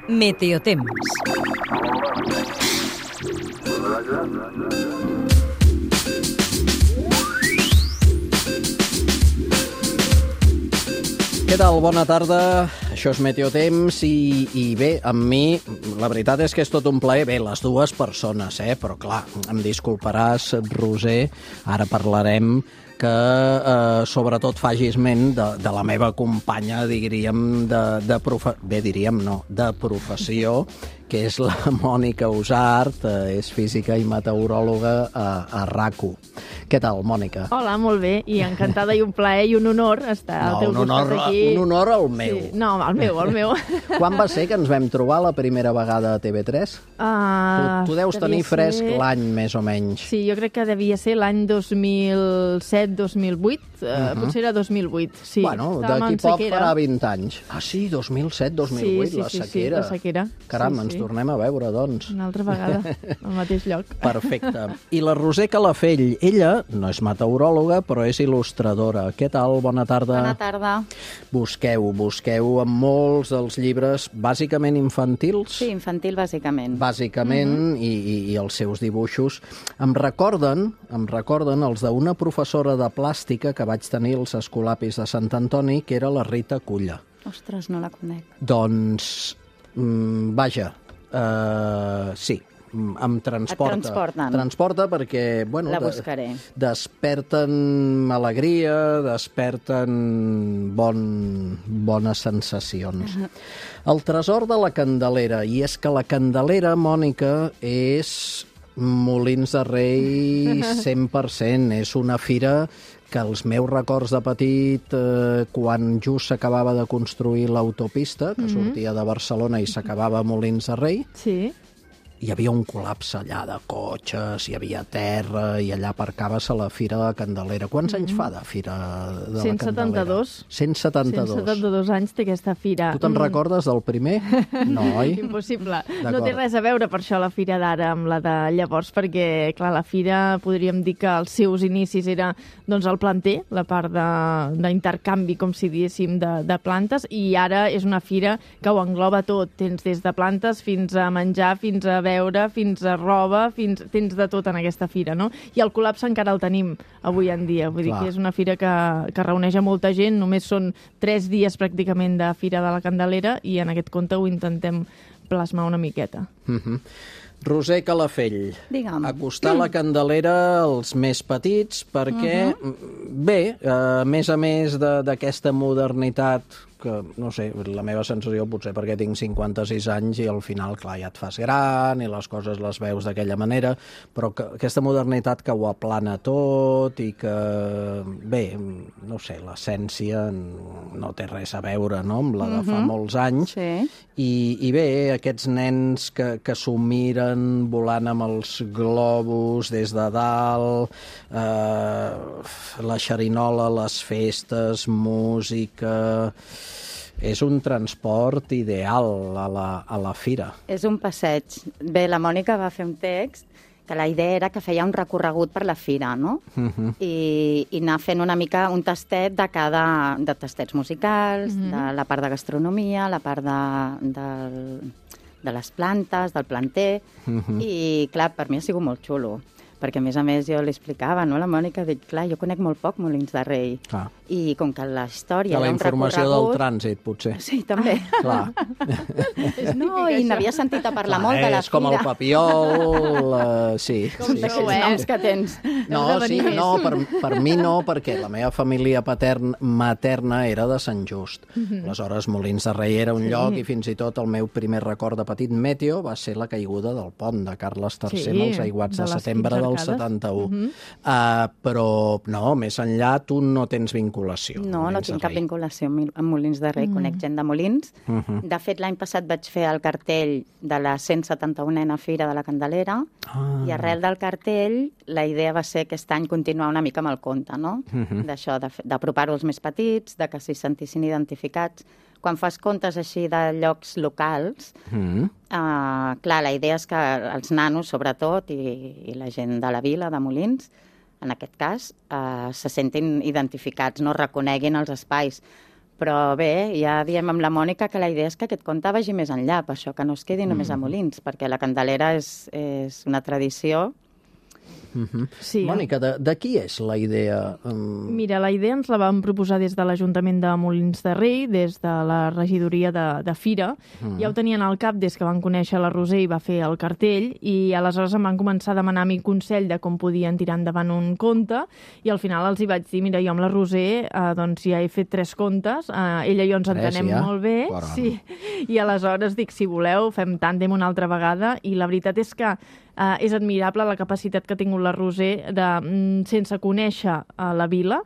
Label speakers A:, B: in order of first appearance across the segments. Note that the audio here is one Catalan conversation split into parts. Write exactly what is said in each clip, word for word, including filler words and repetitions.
A: Meteotemps.
B: Què tal? Bona tarda. Això és Meteotemps i, i bé, amb mi, la veritat és que és tot un plaer. Bé, les dues persones, eh? Però clar, em disculparàs, Roser, ara parlarem que eh, sobretot facis ment de, de la meva companya, diríem, de, de profe... bé, diríem, no, de professió, que és la Mònica Usart, eh, és física i meteoròloga a, a RACU. Què tal, Mònica?
C: Hola, molt bé, i encantada i un plaer i un honor estar
B: no,
C: al teu
B: un honor,
C: costat aquí.
B: Un honor al meu.
C: Sí. No, al meu, al meu.
B: Quan va ser que ens vam trobar la primera vegada a T V tres?
C: Uh,
B: tu, tu deus tenir fresc
C: ser...
B: l'any, més o menys.
C: Sí, jo crec que devia ser l'any dos mil set dos mil vuit, uh, uh -huh. potser era dos mil vuit, sí.
B: Bueno, d'aquí poc farà vint anys. Ah, sí, dos mil set dos mil vuit,
C: sí, sí,
B: la
C: sí,
B: sequera.
C: Sí, la sequera.
B: Caram,
C: sí,
B: ens
C: sí.
B: tornem a veure, doncs.
C: Una altra vegada, al mateix lloc.
B: Perfecte. I la Roser Calafell, ella no és meteoròloga, però és il·lustradora. Què tal? Bona tarda.
D: Bona tarda.
B: Busqueu, busqueu en molts dels llibres, bàsicament infantils.
D: Sí, infantil, bàsicament.
B: Bàsicament, mm-hmm. i, i, i els seus dibuixos. Em recorden, em recorden els d'una professora de plàstica que vaig tenir als Escolapis de Sant Antoni, que era la Rita Culla.
D: Ostres, no la conec.
B: Doncs, mm, vaja, uh, sí, em transporta.
D: Et transporten.
B: Transporta perquè, bueno,
D: la buscaré.
B: De, desperten alegria, desperten bon, bones sensacions. Uh-huh. El tresor de la Candelera, i és que la Candelera, Mònica, és Molins de Rei cent per cent, és una fira que els meus records de petit, eh, quan just s'acabava de construir l'autopista, que mm-hmm. sortia de Barcelona i s'acabava a Molins de Rei,
C: sí.
B: hi havia un col·lapse allà de cotxes, hi havia terra, i allà aparcaves a la Fira de la Candelera. Quants mm-hmm. anys fa de Fira de la
C: cent setanta-dos.
B: Candelera? cent setanta-dos.
C: cent setanta-dos anys té aquesta fira.
B: Tu te'n mm. recordes del primer? No, oi?
C: Impossible. No té res a veure per això la fira d'ara amb la de llavors, perquè, clar, la fira podríem dir que els seus inicis era doncs, el planter, la part d'intercanvi, com si diéssim, de, de plantes, i ara és una fira que ho engloba tot. Tens des de plantes fins a menjar, fins a veure, fins a roba, fins tens de tot en aquesta fira, no? I el col·lapse encara el tenim avui en dia. Vull Clar. dir que és una fira que, que reuneix a molta gent, només són tres dies pràcticament de Fira de la Candelera i en aquest compte ho intentem plasmar una miqueta.
B: Mm-hmm. Roser Calafell,
D: Digue'm.
B: acostar la Candelera als més petits perquè, uh-huh. bé, a més a més d'aquesta modernitat que, no sé, la meva sensació potser perquè tinc cinquanta-sis anys i al final, clar, ja et fas gran i les coses les veus d'aquella manera, però que, aquesta modernitat que ho aplana tot i que, bé, no sé, l'essència no té res a veure, no?, amb la de fa
D: uh-huh.
B: molts anys.
D: Sí.
B: I, i bé, aquests nens que, que s'ho miren volant amb els globus des de dalt, eh, la xerinola, les festes, música... És un transport ideal a la, a la fira.
D: És un passeig. Bé, la Mònica va fer un text que la idea era que feia un recorregut per la fira, no? Uh-huh. I, i anar fent una mica un tastet de cada... de tastets musicals, uh-huh. de la part de gastronomia, la part de, de, de les plantes, del planter, uh-huh. i, clar, per mi ha sigut molt xulo. Perquè, a més a més, jo li explicava, no, la Mònica, dic, clar, jo conec molt poc Molins de Rei. Ah. I com que la història
B: de la
D: era un
B: informació
D: recorregut...
B: del trànsit, potser.
D: Sí, també.
B: Clar.
D: No, i n'havia sentit a parlar clar, molt de la fira.
B: És com el Papiol, uh, sí.
D: Com
B: sí,
D: d'aquells
B: sí.
D: noms que tens.
B: No, sí, no, per, per mi no, perquè la meva família paterna, materna era de Sant Just. Mm-hmm. Aleshores, Molins de Rei era un sí. lloc i fins i tot el meu primer record de petit meteo va ser la caiguda del pont de Carles tercer sí, amb els aiguats de, de setembre del setanta-u. Uh-huh. uh, però, no, més enllà tu no tens vinculació.
D: No, no tinc cap vinculació amb Molins de Rei. Uh-huh. Conec gent de Molins. Uh-huh. De fet, l'any passat vaig fer el cartell de la cent setanta-unena Fira de la Candelera ah. i arrel del cartell la idea va ser aquest any continuar una mica amb el conte, no? Uh-huh. D'això, d'apropar-ho als més petits, de que s'hi sentissin identificats. Quan fas contes així de llocs locals, mm. eh, clar, la idea és que els nanos, sobretot, i, i la gent de la vila, de Molins, en aquest cas, eh, se sentin identificats, no reconeguin els espais. Però bé, ja diem amb la Mònica que la idea és que aquest conte vagi més enllà, per això que no es quedi només a Molins, perquè la Candelera és, és una tradició.
B: Uh-huh.
C: Sí,
B: Mònica, de, de qui és la idea? Um...
C: Mira, la idea ens la vam proposar des de l'Ajuntament de Molins de Rei, des de la regidoria de, de Fira. Mm. Ja ho tenien al cap des que van conèixer la Roser i va fer el cartell, i aleshores em van començar a demanar a mi consell de com podien tirar endavant un conte, i al final els hi vaig dir, mira, jo amb la Roser eh, doncs ja he fet tres contes, eh, ella i jo ens entenem
B: ja?
C: molt bé,
B: Caram.
C: sí, i aleshores dic, si voleu, fem tàndem una altra vegada, i la veritat és que Uh, és admirable la capacitat que ha tingut la Roser de, mm, sense conèixer uh, la vila,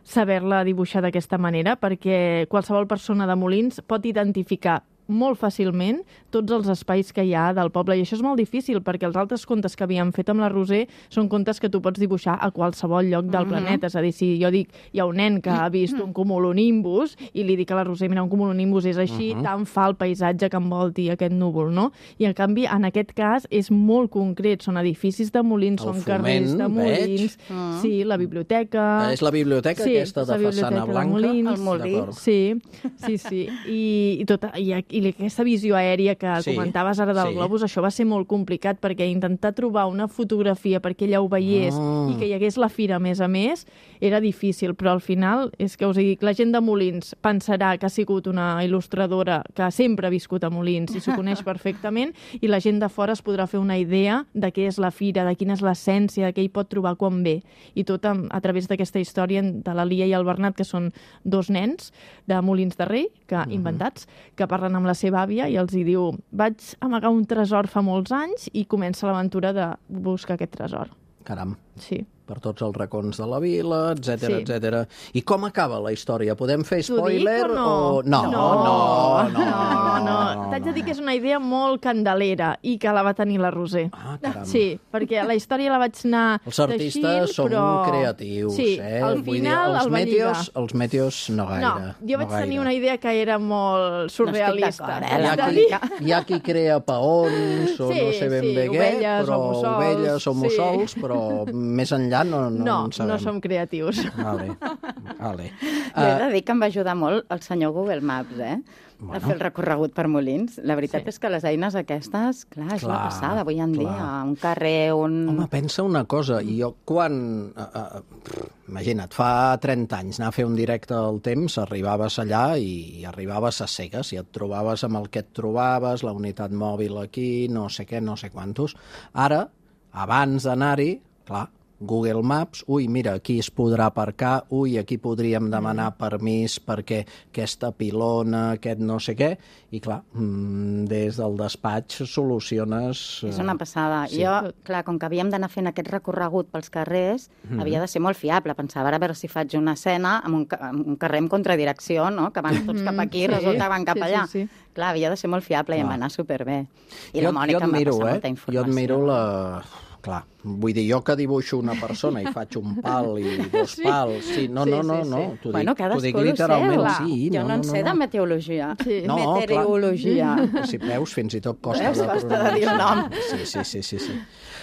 C: saber-la dibuixar d'aquesta manera, perquè qualsevol persona de Molins pot identificar molt fàcilment tots els espais que hi ha del poble, i això és molt difícil, perquè els altres contes que havíem fet amb la Roser són contes que tu pots dibuixar a qualsevol lloc del
D: Mm-hmm.
C: planeta. És a dir, si jo dic, hi ha un nen que ha vist un cumulonimbus i li dic a la Roser, mira, un cumulonimbus és així,
B: Mhm.
C: tant fa el paisatge que envolti aquest núvol, no? I en canvi, en aquest cas, és molt concret. Són edificis de Molins,
B: El
C: són
B: Foment,
C: carrers de Molins,
D: veig.
C: sí, la biblioteca...
B: És la biblioteca
C: Sí,
B: aquesta de
C: la biblioteca
B: façana
C: de
B: blanca?
C: Molins.
D: El molí.
B: D'acord.
C: Sí, sí, sí. I, i, tota, i, i aquesta visió aèria que
B: Sí,
C: comentaves ara del
B: sí.
C: globus, això va ser molt complicat, perquè intentar trobar una fotografia perquè ella ho veiés
B: Ah.
C: i que hi hagués la fira a més a més, era difícil, però al final, és que us dic, la gent de Molins pensarà que ha sigut una il·lustradora que sempre ha viscut a Molins i s'ho coneix perfectament, i la gent de fora es podrà fer una idea de què és la fira, de quina és l'essència, de què hi pot trobar quan ve. I tot a, a través d'aquesta història de la Lia i el Bernat, que són dos nens de Molins de Rei, que, uh-huh. inventats, que parlen amb la seva àvia i els hi diu, vaig amagar un tresor fa molts anys, i comença l'aventura de buscar aquest tresor.
B: Caram.
C: Sí.
B: Per tots els racons de la vila, etcètera,
C: Sí.
B: etcètera. I com acaba la història? Podem fer
C: T'ho
B: spoiler
C: dic o no?
B: o... No, no, no.
C: no, no. T'haig de dir que és una idea molt candelera i que la va tenir la Roser.
B: Ah, caram.
C: Sí, perquè la història la vaig anar
B: Els artistes
C: teixint,
B: són
C: però...
B: creatius,
C: sí,
B: eh?
C: al
B: Vull
C: final
B: dir, els
C: el va
B: meteos,
C: lligar.
B: els meteos no gaire.
C: No, jo vaig
B: no
C: tenir
B: gaire.
C: una idea que era molt surrealista.
D: No estic d'acord, eh,
B: Hi
D: la
B: ha,
C: És a
B: qui,
C: dir,
B: hi ha qui crea paons, o
C: Sí,
B: no sé ben
C: sí,
B: bé què,
C: ovelles
B: però
C: o mussols,
B: ovelles o
C: sí.
B: mussols, però més enllà no, no,
C: no,
B: en sabem.
C: no som creatius.
B: Vale, vale.
D: Jo he de dir que em va ajudar molt el senyor Google Maps, eh? Bueno. A fer el recorregut per Molins. La veritat
C: Sí.
D: és que les eines aquestes, clar, és
B: Clar,
D: la passada avui en
B: clar.
D: dia. Un carrer, un...
B: Home, pensa una cosa, i jo quan... Uh, uh, imagina't, fa trenta anys anar a fer un directe al temps, arribaves allà i arribaves a cegues, i et trobaves amb el que et trobaves, la unitat mòbil aquí, no sé què, no sé quantos. Ara, abans d'anar-hi, clar, Google Maps, ui, mira, aquí es podrà aparcar, ui, aquí podríem demanar permís perquè aquesta pilona, aquest no sé què, i clar, des del despatx soluciones...
D: És una passada.
B: Sí.
D: Jo, clar, com que havíem d'anar fent aquest recorregut pels carrers, mm. havia de ser molt fiable. Pensava, a veure si faig una escena amb un, amb un carrer en contradirecció, no? Que van tots cap aquí i
C: Sí.
D: resulta que van cap
C: Sí,
D: allà.
C: sí, sí.
D: Clar, havia de ser molt fiable i
B: Clar.
D: em va anar superbé. I
B: jo,
D: la Mònica
B: jo
D: em va
B: admiro,
D: passar
B: eh?
D: molta informació.
B: Jo admiro la... Clar, vull dir, jo que dibuixo una persona i faig un pal i dos
C: Sí.
B: pals... Sí, no,
C: Sí,
B: no, no,
C: sí,
B: no,
C: sí.
B: t'ho
D: Bueno,
B: dic, t'ho dic
D: cadascú lo
B: literalment,
D: seu.
B: sí.
D: Jo no, en sé de meteorologia.
C: Sí.
B: No, clar.
D: Meteorologia.
B: Si veus, fins i tot costa
D: Veus?
B: de
D: Costa de dir el nom.
B: Sí, sí, sí, sí, sí.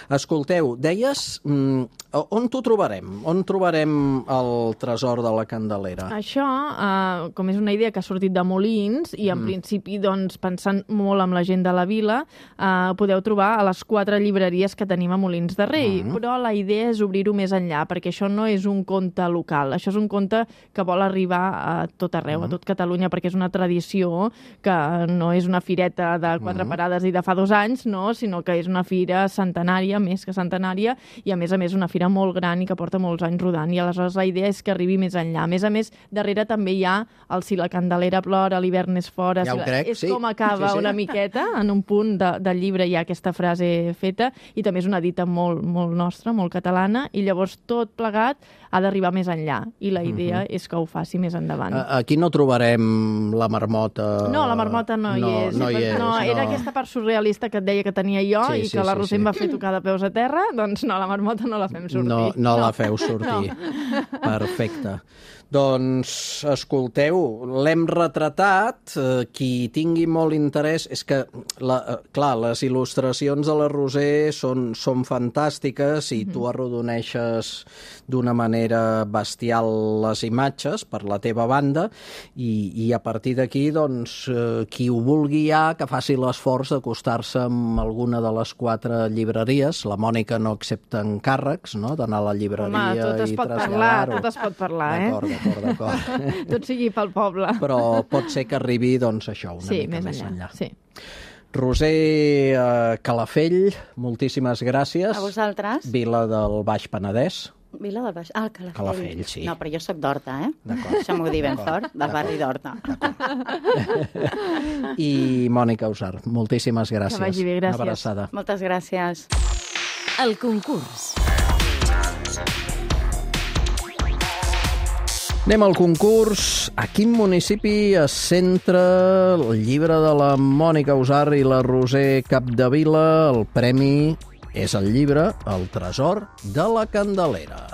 B: Escolteu, deies, mm, on t'ho trobarem? On trobarem el tresor de la Candelera?
C: Això, eh, com és una idea que ha sortit de Molins, i en mm. principi, doncs, pensant molt amb la gent de la vila, eh, podeu trobar a les quatre llibreries que tenim a Molins de Rei, mm. però la idea és obrir-ho més enllà, perquè això no és un conte local, això és un conte que vol arribar a tot arreu, mm. a tot Catalunya, perquè és una tradició que no és una fireta de quatre mm. parades i de fa dos anys, no, sinó que és una fira centenària, més que centenària, i a més a més una fira molt gran i que porta molts anys rodant, i aleshores la idea és que arribi més enllà. A més a més, darrere també hi ha el Si la Candelera plora, l'hivern és fora,
B: Ja
C: si
B: ho
C: la...
B: crec,
C: és
B: sí.
C: com acaba
B: Sí, sí.
C: una miqueta, en un punt de, del llibre hi ha aquesta frase feta, i també és una dita molt, molt nostra, molt catalana, i llavors tot plegat ha d'arribar més enllà, i la idea uh-huh. és que ho faci més endavant.
B: Aquí no trobarem la marmota...
C: No, la marmota no,
B: no
C: hi és.
B: No, hi és
C: no, era
B: no.
C: aquesta part surrealista que et deia que tenia jo
B: Sí,
C: i
B: sí,
C: que la
B: sí,
C: Roser
B: sí.
C: em va fer tocar de peus a terra, doncs no, la marmota no la fem sortir.
B: No, no, no. la feu sortir. No. Perfecte. Doncs, escolteu, l'hem retratat. Eh, qui tingui molt interès... És que, la, eh, clar, les il·lustracions de la Roser són, són fantàstiques i mm-hmm. tu arrodoneixes d'una manera bestial les imatges per la teva banda i, i a partir d'aquí, doncs, eh, qui ho vulgui ja, que faci l'esforç d'acostar-se amb alguna de les quatre llibreries. La Mònica no accepta encàrrecs, no?, d'anar a la llibreria.
C: Home, tot es
B: i
C: pot
B: traslladar-ho.
C: parlar, tot es pot parlar, eh?
B: D'acord, d'acord, d'acord.
C: Tot sigui pel poble.
B: Però pot ser que arribi, doncs, això, una
C: sí,
B: mica
C: més
B: més
C: enllà.
B: enllà.
C: Sí.
B: Roser eh, Calafell, moltíssimes gràcies.
D: A vosaltres.
B: Vila del Baix Penedès.
D: Vila del Baix... Ah, Calafell.
B: Calafell, sí.
D: No, però jo sóc d'Horta, eh?
B: D'acord.
D: Deixa'm-ho dir ben fort, del barri d'Horta.
B: I Mònica Usar, moltíssimes gràcies.
C: Que vagi bé, gràcies.
B: Una abraçada.
D: Moltes gràcies.
A: El concurs.
B: Anem al concurs. A quin municipi es centra el llibre de la Mònica Usar i la Roser Capdevila? El premi és el llibre El tresor de la Candelera.